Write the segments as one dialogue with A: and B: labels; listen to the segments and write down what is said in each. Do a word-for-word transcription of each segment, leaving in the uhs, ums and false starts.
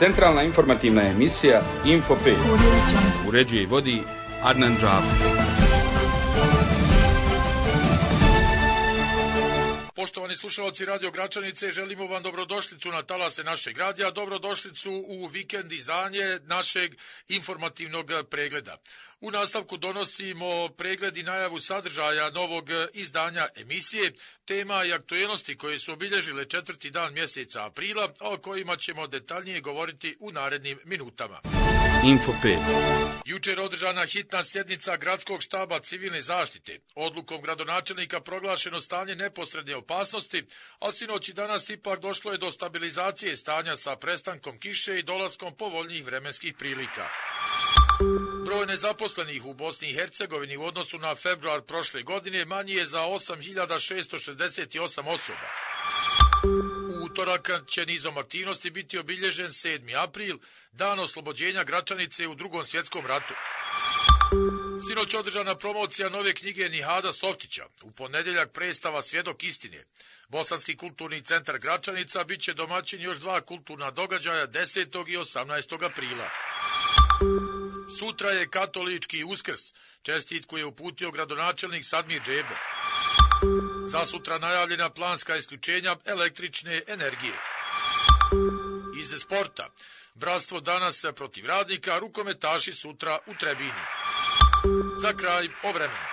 A: Centralna informativna emisija Info pet. Uređuje i vodi Adnan Džafer.
B: Poštovani slušalci Radio Gračanice, želimo vam dobrodošlicu na talase našeg radija, dobrodošlicu u vikend izdanje našeg informativnog pregleda. U nastavku donosimo pregled i najavu sadržaja novog izdanja emisije, tema i aktuelnosti koje su obilježile četvrti dan mjeseca aprila, a o kojima ćemo detaljnije govoriti u narednim minutama.
A: Info pet.
B: Jučer održana hitna sjednica Gradskog štaba civilne zaštite. Odlukom gradonačelnika proglašeno stanje neposredne opasnosti, a sinoć i danas ipak došlo je do stabilizacije stanja sa prestankom kiše i dolaskom povoljnijih vremenskih prilika. Broj nezaposlenih u Bosni i Hercegovini u odnosu na februar prošle godine manji je za osam hiljada šesto šezdeset osam osoba. U utorak će nizom aktivnosti biti obilježen sedmi april, dan oslobođenja Gračanice u Drugom svjetskom ratu. Sinoć održana promocija nove knjige Nihada Softića, u ponedjeljak predstava Svjedok istine. Bosanski kulturni centar Gračanica bit će domaćin još dva kulturna događaja desetog i osamnaestog aprila. Sutra je katolički Uskrs, čestitku je uputio gradonačelnik Sadmir Džebo. Za sutra najavljena planska isključenja električne energije. Iz sporta, bratstvo danas protiv Radnika, rukometaši sutra u Trebini. Za kraj o vremenu.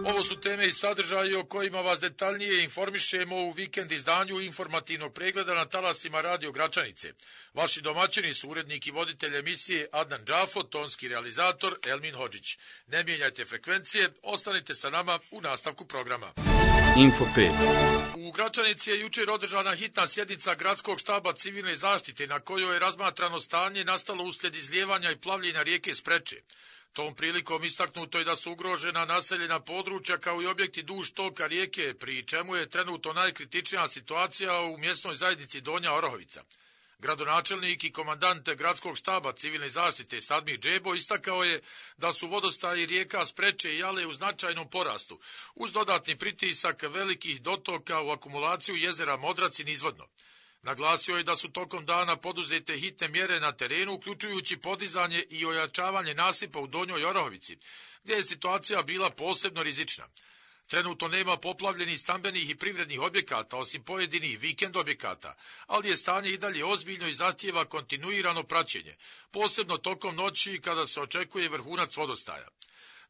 B: Ovo su teme i sadržaji o kojima vas detaljnije informišemo u vikend izdanju informativnog pregleda na talasima Radio Gračanice. Vaši domaćini su urednik i voditelj emisije Adnan Džafer, tonski realizator Elmin Hodžić. Ne mijenjajte frekvencije, ostanite sa nama u nastavku programa.
A: Info pet.
B: U Gračanici je jučer održana hitna sjednica Gradskog štaba civilne zaštite na kojoj je razmatrano stanje nastalo uslijed izlijevanja i plavljenja rijeke Spreče. Tom prilikom istaknuto je da su ugrožena naseljena područja kao i objekti duž toka rijeke, pri čemu je trenutno najkritičnija situacija u mjesnoj zajednici Donja Orahovica. Gradonačelnik i komandant Gradskog štaba civilne zaštite Sadmir Džebo istakao je da su vodostaji rijeka Spreče i Jale u značajnom porastu, uz dodatni pritisak velikih dotoka u akumulaciju jezera Modrac i nizvodno. Naglasio je da su tokom dana poduzete hitne mjere na terenu, uključujući podizanje i ojačavanje nasipa u Donjoj Orahovici, gdje je situacija bila posebno rizična. Trenutno nema poplavljenih stambenih i privrednih objekata, osim pojedinih vikend objekata, ali je stanje i dalje ozbiljno i zahtijeva kontinuirano praćenje, posebno tokom noći kada se očekuje vrhunac vodostaja.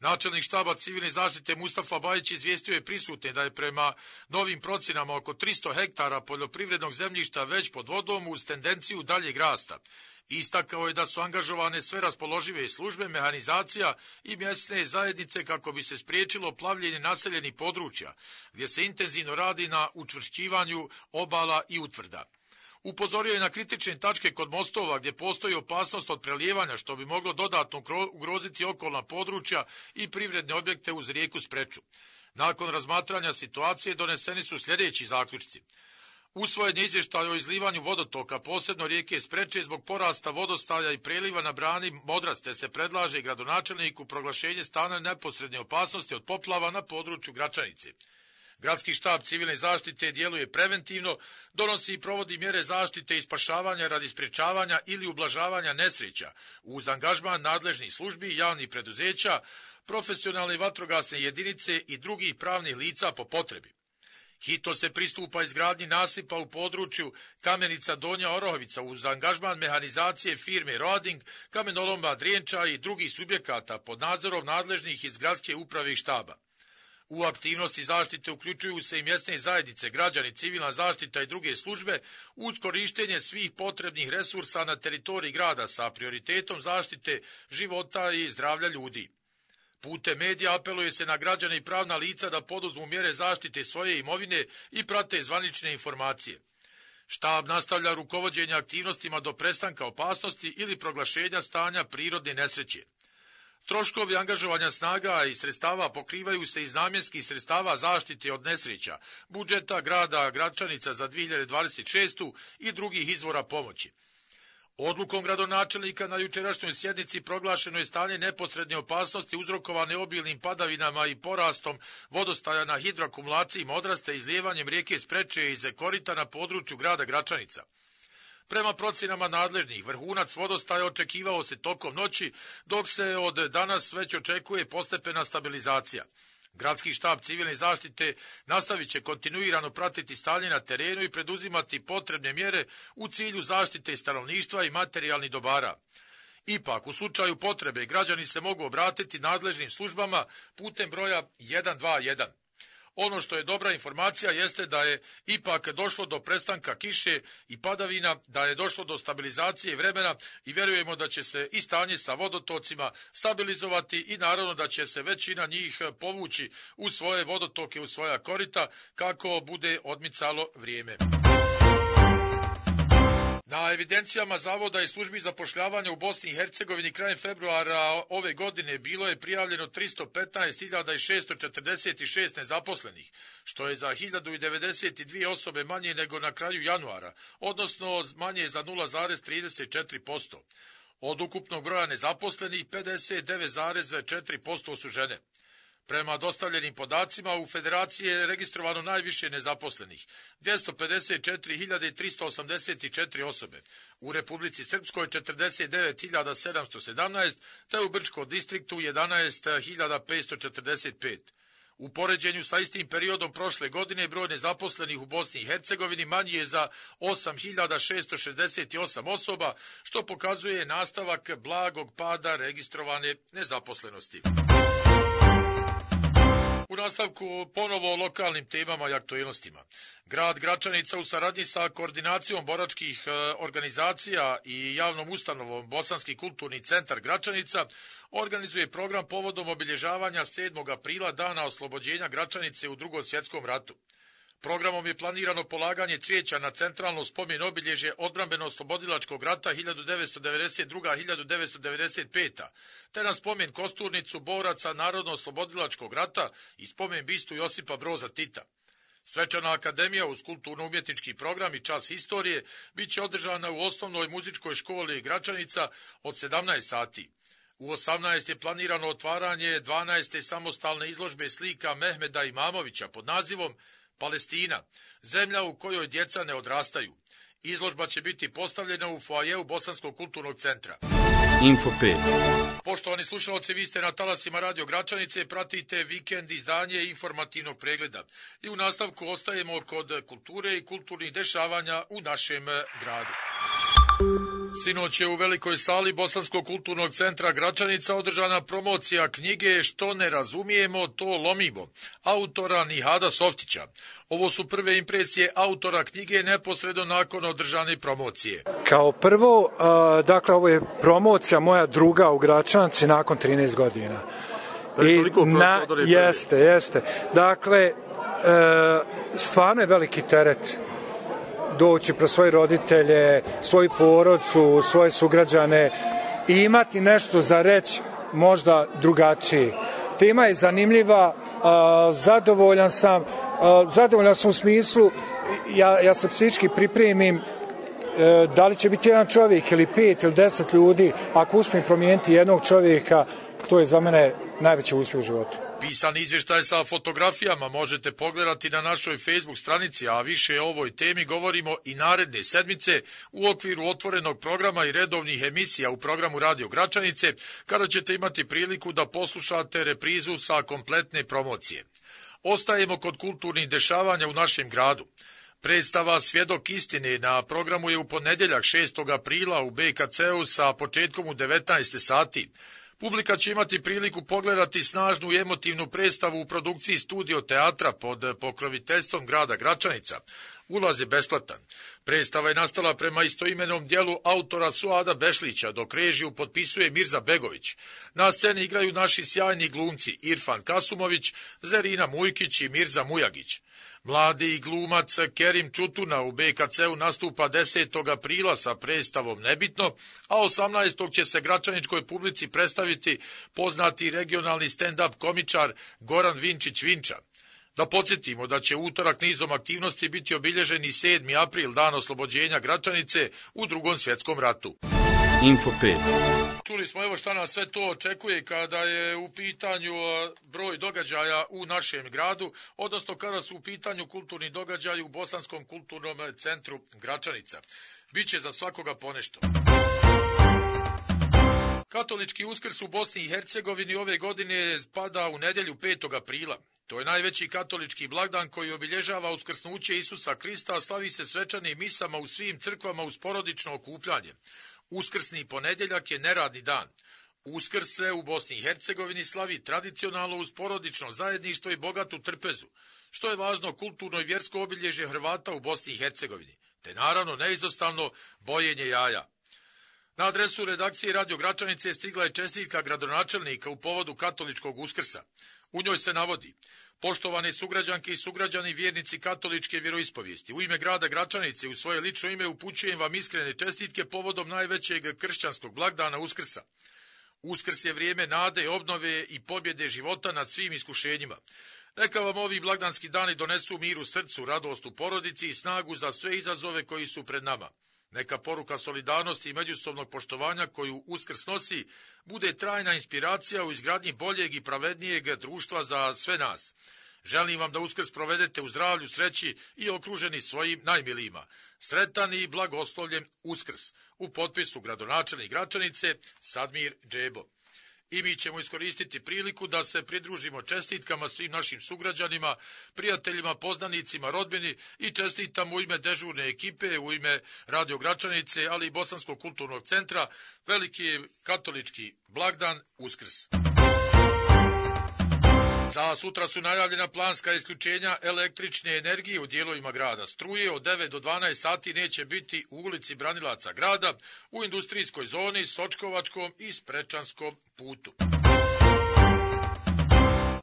B: Načelnik štaba civilne zaštite Mustafa Bajić izvijestio je prisutne da je prema novim procjenama oko tristo hektara poljoprivrednog zemljišta već pod vodom uz tendenciju daljeg rasta. Istakao je da su angažovane sve raspoložive službe, mehanizacija i mjesne zajednice kako bi se spriječilo plavljenje naseljenih područja, gdje se intenzivno radi na učvršćivanju obala i utvrda. Upozorio je na kritične tačke kod mostova gdje postoji opasnost od prelijevanja što bi moglo dodatno ugroziti okolna područja i privredne objekte uz rijeku Spreču. Nakon razmatranja situacije doneseni su sljedeći zaključci. Usvojen je izvještaj o izlivanju vodotoka, posebno rijeke Spreče zbog porasta vodostaja i preliva na brani Modrac, te se predlaže gradonačelniku proglašenje stanja neposredne opasnosti od poplava na području Gračanice. Gradski štab civilne zaštite djeluje preventivno, donosi i provodi mjere zaštite i spašavanja radi sprječavanja ili ublažavanja nesreća uz angažman nadležnih službi, javnih preduzeća, profesionalne vatrogasne jedinice i drugih pravnih lica po potrebi. Hitno se pristupa izgradnji nasipa u području Kamenica Donja Orahovica uz angažman mehanizacije firme Roding, kamenoloma Drijenča i drugih subjekata pod nadzorom nadležnih iz gradske uprave i štaba. U aktivnosti zaštite uključuju se i mjesne zajednice, građani, civilna zaštita i druge službe uz korištenje svih potrebnih resursa na teritoriji grada sa prioritetom zaštite života i zdravlja ljudi. Putem medija apeluje se na građane i pravna lica da poduzmu mjere zaštite svoje imovine i prate zvanične informacije. Štab nastavlja rukovođenje aktivnostima do prestanka opasnosti ili proglašenja stanja prirodne nesreće. Troškovi angažovanja snaga i sredstava pokrivaju se iz namjenskih sredstava zaštite od nesreća, budžeta grada Gračanica za dvije hiljade dvadeset šestu i drugih izvora pomoći. Odlukom gradonačelnika na jučerašnjoj sjednici proglašeno je stanje neposredne opasnosti uzrokovane obilnim padavinama i porastom vodostaja na hidroakumulaciji Modraste i izlijevanjem rijeke Spreče iz korita na području grada Gračanica. Prema procjenama nadležnih, vrhunac vodostaja očekivao se tokom noći, dok se od danas već očekuje postepena stabilizacija. Gradski štab civilne zaštite nastavit će kontinuirano pratiti stanje na terenu i preduzimati potrebne mjere u cilju zaštite stanovništva i materijalnih dobara. Ipak, u slučaju potrebe, građani se mogu obratiti nadležnim službama putem broja jedan dva jedan. Ono što je dobra informacija jeste da je ipak došlo do prestanka kiše i padavina, da je došlo do stabilizacije vremena i vjerujemo da će se i stanje sa vodotocima stabilizovati i naravno da će se većina njih povući u svoje vodotoke, u svoja korita kako bude odmicalo vrijeme. Na evidencijama Zavoda i službi zapošljavanja u Bosni i Hercegovini krajem februara ove godine bilo je prijavljeno tristo petnaest hiljada šesto četrdeset šest nezaposlenih, što je za hiljadu devedeset dvije osobe manje nego na kraju januara, odnosno manje za nula zarez trideset četiri posto. Od ukupnog broja nezaposlenih pedeset devet zarez četiri posto su žene. Prema dostavljenim podacima, u Federaciji je registrovano najviše nezaposlenih, dvjesto pedeset četiri hiljade tristo osamdeset četiri osobe, u Republici Srpskoj četrdeset devet hiljada sedamsto sedamnaest, te u Brčkom distriktu jedanaest hiljada petsto četrdeset pet. U poređenju sa istim periodom prošle godine broj nezaposlenih u Bosni i Hercegovini manji je za osam hiljada šesto šezdeset osam osoba, što pokazuje nastavak blagog pada registrovane nezaposlenosti. U nastavku ponovo o lokalnim temama i aktualnostima. Grad Gračanica u saradnji sa koordinacijom boračkih organizacija i javnom ustanovom Bosanski kulturni centar Gračanica organizuje program povodom obilježavanja sedmog aprila dana oslobođenja Gračanice u Drugom svjetskom ratu. Programom je planirano polaganje cvijeća na centralno spomen obilježje odbrambeno-oslobodilačkog rata hiljadu devetsto devedeset druga do hiljadu devetsto devedeset peta. te na spomen kosturnicu boraca Narodno-oslobodilačkog rata i spomen bistu Josipa Broza Tita. Svečana akademija uz kulturno-umjetnički program i čas historije bit će održana u osnovnoj muzičkoj školi Gračanica od sedamnaest sati. U osamnaest je planirano otvaranje dvanaeste samostalne izložbe slika Mehmeda Imamovića pod nazivom Palestina, zemlja u kojoj djeca ne odrastaju. Izložba će biti postavljena u foajeu Bosanskog kulturnog centra.
A: Info pet.
B: Poštovani slušalci, vi ste na talasima Radio Gračanice, pratite vikend izdanje informativnog pregleda. I u nastavku ostajemo kod kulture i kulturnih dešavanja u našem gradu. Sinoć je u velikoj sali Bosanskog kulturnog centra Gračanica održana promocija knjige Što ne razumijemo, to lomimo, autora Nihada Softića. Ovo su prve impresije autora knjige neposredno nakon održane promocije.
C: Kao prvo, dakle, ovo je promocija moja druga u Gračanici nakon trinaest godina. I na, jeste, jeste. Dakle, stvarno je veliki teret doći pro svoje roditelje, svoju porodcu, svoje sugrađane i imati nešto za reći možda drugačije. Tema je zanimljiva, zadovoljan sam, zadovoljan sam u smislu, ja, ja se psihički pripremim da li će biti jedan čovjek ili pet ili deset ljudi, ako uspijem promijeniti jednog čovjeka, to je za mene najveći uspjeh u životu.
B: Pisani izvještaj sa fotografijama možete pogledati na našoj Facebook stranici, a više o ovoj temi govorimo i naredne sedmice u okviru otvorenog programa i redovnih emisija u programu Radio Gračanice, kada ćete imati priliku da poslušate reprizu sa kompletne promocije. Ostajemo kod kulturnih dešavanja u našem gradu. Predstava Svjedok istine na programu je u ponedjeljak šestog aprila u B K C-u sa početkom u devetnaest sati. Publika će imati priliku pogledati snažnu i emotivnu predstavu u produkciji Studio teatra pod pokroviteljstvom grada Gračanica. Ulaz je besplatan. Predstava je nastala prema istoimenom dijelu autora Suada Bešlića, dok režiju potpisuje Mirza Begović. Na sceni igraju naši sjajni glumci Irfan Kasumović, Zerina Mujkić i Mirza Mujagić. Mladi glumac Kerim Čutuna u B K C-u nastupa desetog aprila sa predstavom Nebitno, a osamnaestog će se gračaničkoj publici predstaviti poznati regionalni stand-up komičar Goran Vinčić Vinča. Da podsjetimo da će utorak nizom aktivnosti biti obilježen i sedmi april, dan oslobođenja Gračanice u Drugom svjetskom ratu.
A: Info pet.
B: Čuli smo evo šta nas sve to očekuje kada je u pitanju broj događaja u našem gradu, odnosno kada su u pitanju kulturni događaji u Bosanskom kulturnom centru Gračanica. Biće za svakoga ponešto. Katolički Uskrs u Bosni i Hercegovini ove godine pada u nedjelju petog aprila. To je najveći katolički blagdan koji obilježava uskrsnuće Isusa Krista, a slavi se svečanim misama u svim crkvama uz porodično okupljanje. Uskrsni ponedjeljak je neradni dan. Uskrs se u Bosni i Hercegovini slavi tradicionalno uz porodično zajedništvo i bogatu trpezu, što je važno kulturno i vjersko obilježje Hrvata u Bosni i Hercegovini, te naravno neizostavno bojenje jaja. Na adresu redakcije Radio Gračanice stigla je čestitka gradonačelnika u povodu katoličkog Uskrsa. U njoj se navodi: poštovane sugrađanke i sugrađani vjernici katoličke vjeroispovijesti, u ime grada Gračanice i u svoje lično ime upućujem vam iskrene čestitke povodom najvećeg kršćanskog blagdana Uskrsa. Uskrs je vrijeme nade, obnove i pobjede života nad svim iskušenjima. Neka vam ovi blagdanski dani donesu mir u srcu, radost u porodici i snagu za sve izazove koji su pred nama. Neka poruka solidarnosti i međusobnog poštovanja koju Uskrs nosi bude trajna inspiracija u izgradnji boljeg i pravednijeg društva za sve nas. Želim vam da Uskrs provedete u zdravlju, sreći i okruženi svojim najmilijima. Sretan i blagoslovljen Uskrs. U potpisu gradonačelnik Gračanice Sadmir Džebo. I mi ćemo iskoristiti priliku da se pridružimo čestitkama svim našim sugrađanima, prijateljima, poznanicima, rodbini i čestitamo u ime dežurne ekipe, u ime Radio Gračanice, ali i Bosanskog kulturnog centra, veliki katolički blagdan Uskrs. Za sutra su najavljena planska isključenja električne energije u dijelovima grada. Struje od devet do dvanaest sati neće biti u ulici Branilaca grada, u industrijskoj zoni, Sočkovačkom i Sprečanskom putu.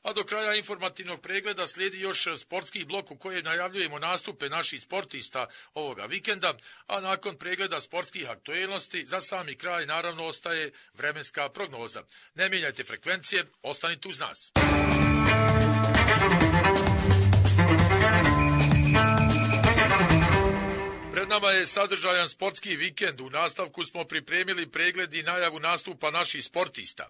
B: A do kraja informativnog pregleda slijedi još sportski blok u kojem najavljujemo nastupe naših sportista ovoga vikenda, a nakon pregleda sportskih aktuelnosti za sami kraj naravno ostaje vremenska prognoza. Ne mijenjajte frekvencije, ostanite uz nas. Pred nama je sadržajan sportski vikend. U nastavku smo pripremili pregled i najavu nastupa naših sportista.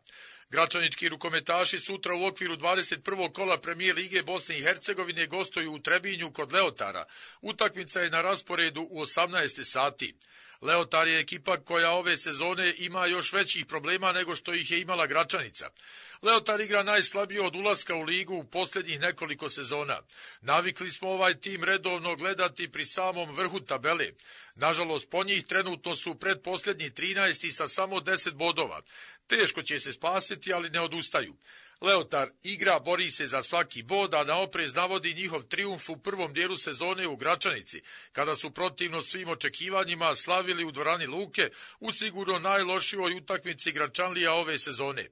B: Gračanički rukometaši sutra u okviru dvadeset prvog kola Premijer Lige Bosne i Hercegovine gostuju u Trebinju kod Leotara. Utakmica je na rasporedu u osamnaest sati. Leotar je ekipa koja ove sezone ima još većih problema nego što ih je imala Gračanica. Leotar igra najslabije od ulaska u ligu u posljednjih nekoliko sezona. Navikli smo ovaj tim redovno gledati pri samom vrhu tabele. Nažalost, po njih trenutno su predposljednji trinaesti sa samo deset bodova. Teško će se spasiti, ali ne odustaju. Leotar igra, bori se za svaki bod, a na oprez navodi njihov trijumf u prvom dijelu sezone u Gračanici, kada su protivno svim očekivanjima slavili u dvorani Luke u sigurno najlošijoj utakmici Gračanlija ove sezone.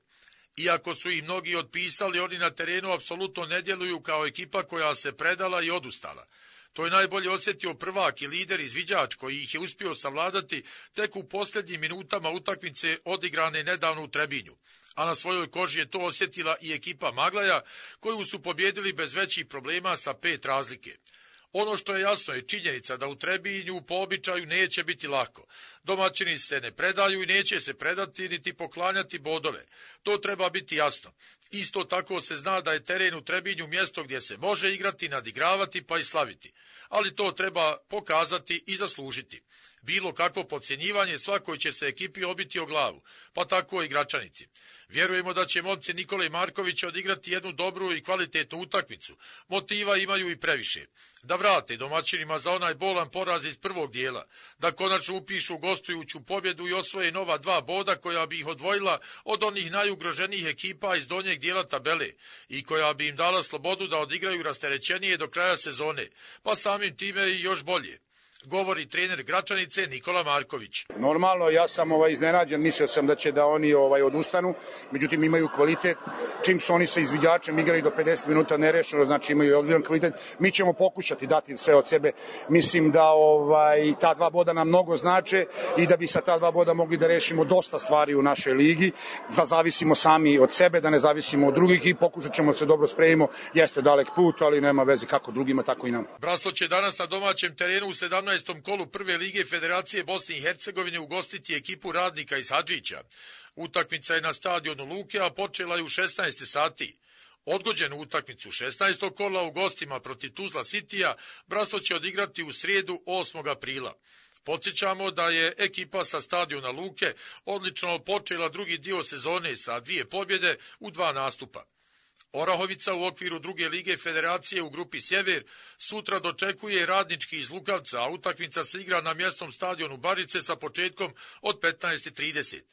B: Iako su ih mnogi otpisali, oni na terenu apsolutno ne djeluju kao ekipa koja se predala i odustala. To je najbolje osjetio prvak i lider izviđač koji ih je uspio savladati tek u posljednjim minutama utakmice odigrane nedavno u Trebinju. A na svojoj koži je to osjetila i ekipa Maglaja, koju su pobjedili bez većih problema sa pet razlike. Ono što je jasno je činjenica da u Trebinju po običaju neće biti lako. Domaćini se ne predaju i neće se predati niti poklanjati bodove. To treba biti jasno. Isto tako se zna da je teren u Trebinju mjesto gdje se može igrati, nadigravati pa i slaviti. Ali to treba pokazati i zaslužiti. Bilo kakvo podcjenjivanje svakoj će se ekipi obiti o glavu, pa tako i Gračanici. Vjerujemo da će momci Nikole Markovića odigrati jednu dobru i kvalitetnu utakmicu. Motiva imaju i previše. Da vrate domaćinima za onaj bolan poraz iz prvog dijela, da konačno upišu gostujuću pobjedu i osvoje nova dva boda koja bi ih odvojila od onih najugroženijih ekipa iz donjeg dijela tabele i koja bi im dala slobodu da odigraju rasterećenije do kraja sezone, pa samim time i još bolje. Govori trener Gračanice Nikola Marković.
D: Normalno, ja sam ovaj iznenađen, mislio sam da će da oni ovaj odustanu, međutim imaju kvalitet. Čim su oni sa izviđačem igraju do pedeset minuta nerešeno, znači imaju odličan kvalitet. Mi ćemo pokušati dati sve od sebe. Mislim da ovaj ta dva boda nam mnogo znače i da bi sa ta dva boda mogli da rešimo dosta stvari u našoj ligi, da zavisimo sami od sebe, da ne zavisimo od drugih i pokušat ćemo se dobro spremimo. Jeste dalek put, ali nema veze kako drugima, tako i nam.
B: Braslo će danas na domaćem terenu u sedamnaest osamnaestom kolu prve lige Federacije Bosne i Hercegovine ugostiti ekipu Radnika iz Hadžića. Utakmica je na stadionu Luke, a počela je u šesnaest sati. Odgođenu utakmicu šesnaestog kola u gostima protiv Tuzla Citya Bratstvo će odigrati u srijedu osmog aprila. Podsjećamo da je ekipa sa stadiona Luke odlično počela drugi dio sezone sa dvije pobjede u dva nastupa. Orahovica u okviru druge lige Federacije u grupi Sjever sutra dočekuje Radnički iz Lukavca, a utakmica se igra na mjesnom stadionu Barice sa početkom od petnaest trideset.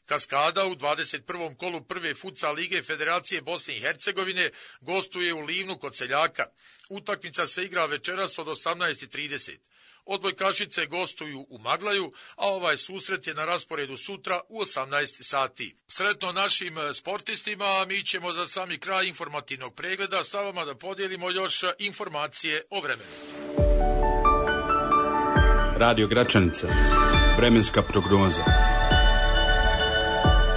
B: Kaskada u dvadeset prvom kolu prve futsal lige Federacije Bosne i Hercegovine gostuje u Livnu kod Seljaka. Utakmica se igra večeras od osamnaest trideset. Odbojkašice gostuju u Maglaju, a ovaj susret je na rasporedu sutra u osamnaest sati. Sretno našim sportistima, a mi ćemo za sami kraj informativnog pregleda sa vama da podijelimo još informacije o vremenu.
A: Radio Gračanica. Vremenska prognoza.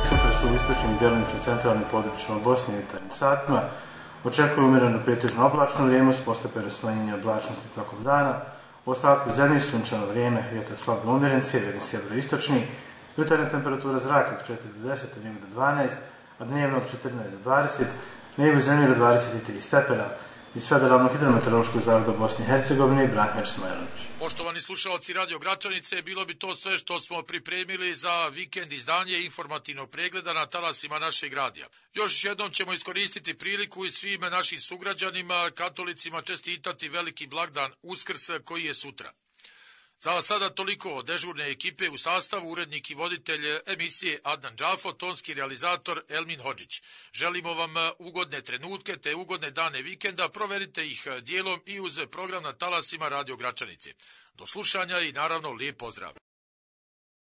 E: Sutra se u istočnim i djelomično centralnim područjima Bosne i jutarnjim satima očekuje umjereno do pretežno oblačno vrijeme s postepeno smanjenje oblačnosti tokom dana. U ostatku zemlje sunčano vrijeme, vjetar slabo umjeren, sjeverni sjeveroistočni, jutarnja temperatura zraka od četiri do deset, dnevno do dvanaest, a dnevno od četrnaest do dvadeset, neba zemlje do dvadeset tri stepena. Iz Federalnog hidrometeorološkog zavoda Bosne i Hercegovine i Branimir Smajlović.
B: Poštovani slušalci Radio Gračanice, bilo bi to sve što smo pripremili za vikend izdanje informativnog pregleda na talasima našeg radija. Još jednom ćemo iskoristiti priliku i svim našim sugrađanima, katolicima, čestitati veliki blagdan Uskrs koji je sutra. Za sada toliko od dežurne ekipe u sastavu, urednik i voditelj emisije Adnan Džafo, tonski realizator Elmin Hodžić. Želimo vam ugodne trenutke te ugodne dane vikenda, proverite ih dijelom i uz program na talasima Radio Gračanice. Do slušanja i naravno lijep pozdrav.